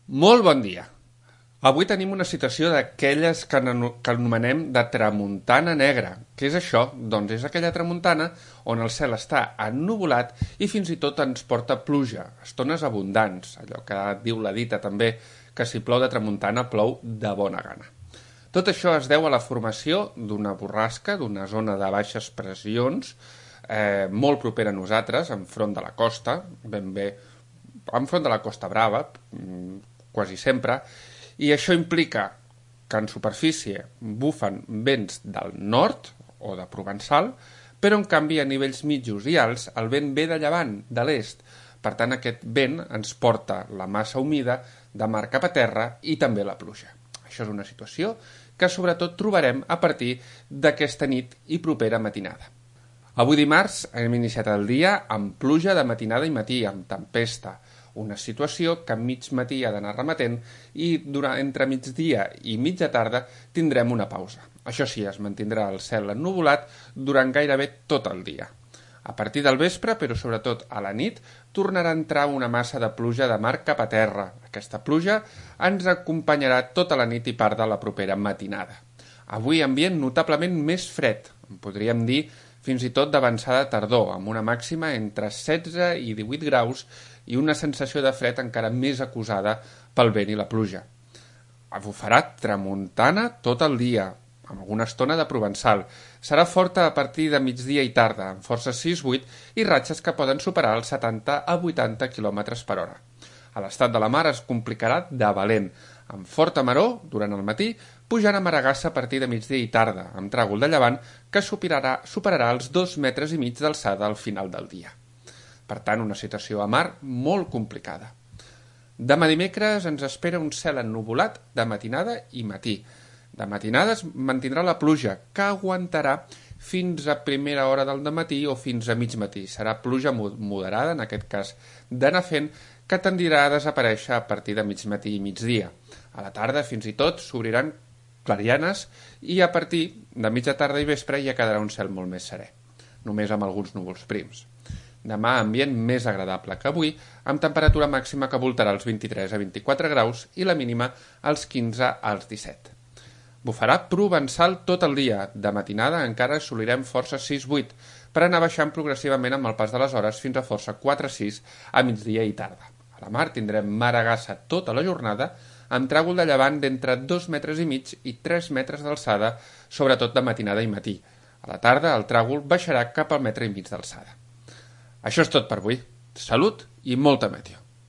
Molt bon dia. Avui tenim una situació d'aquelles que anomenem de tramuntana negra. Què és això? Doncs és aquella tramuntana on el cel està ennuvolat i fins i tot ens porta pluja, estones abundants, allò que diu la dita també, que si plou de tramuntana plou de bona gana. Tot això es deu a la formació d'una borrasca, d'una zona de baixes pressions, molt propera a nosaltres, enfront de la costa, ben bé, enfront de la Costa Brava, quasi sempre, i això implica que en superfície bufen vents del nord o de Provençal, però en canvi a nivells mitjos i alts el vent ve de llevant, de l'est. Per tant, aquest vent ens porta la massa humida de mar cap a terra i també la pluja. Això és una situació que sobretot trobarem a partir d'aquesta nit i propera matinada. Avui dimarts hem iniciat el dia amb pluja de matinada i matí, amb tempesta, una situació que a mig matí ha d'anar remetent i entre migdia i mitja tarda tindrem una pausa. Això sí, es mantindrà el cel ennuvolat durant gairebé tot el dia. A partir del vespre, però sobretot a la nit, tornarà a entrar una massa de pluja de mar cap a terra. Aquesta pluja ens acompanyarà tota la nit i part de la propera matinada. Avui ambient notablement més fred, podríem dir fins i tot d'avançada tardor, amb una màxima entre 16 i 18 graus i una sensació de fred encara més acusada pel vent i la pluja. Bufarà tramuntana tot el dia, amb alguna estona de provençal. Serà forta a partir de migdia i tarda, amb forces 6-8 i ratxes que poden superar els 70 a 80 km per hora. A l'estat de la mar es complicarà de valent, amb forta maror durant el matí, pujant a Maragassa a partir de migdia i tarda, amb tràgol de llevant que superarà els 2,5 metres d'alçada al final del dia. Per tant, una situació a mar molt complicada. Demà dimecres ens espera un cel ennuvolat de matinada i matí. De matinada es mantindrà la pluja, que aguantarà fins a primera hora del dematí o fins a mig matí. Serà pluja moderada, en aquest cas d'anar fent, que tendirà a desaparèixer a partir de mig matí i migdia. A la tarda, fins i tot, s'obriran clarianes i a partir de mitja tarda i vespre ja quedarà un cel molt més serè, només amb alguns núvols prims. Demà ambient més agradable que avui, amb temperatura màxima que voltarà els 23 a 24 graus i la mínima als 15 als 17. Bufarà provençal tot el dia. De matinada encara assolirem força 6-8, per anar baixant progressivament amb el pas de les hores fins a força 4-6 a migdia i tarda. A la mar tindrem Maragassa tota la jornada, amb tràgol de llevant d'entre 2,5 metres i 3 metres d'alçada, sobretot de matinada i matí. A la tarda el tràgol baixarà cap al 1,5 metres d'alçada. Això és tot per avui. Salut i molta meteo.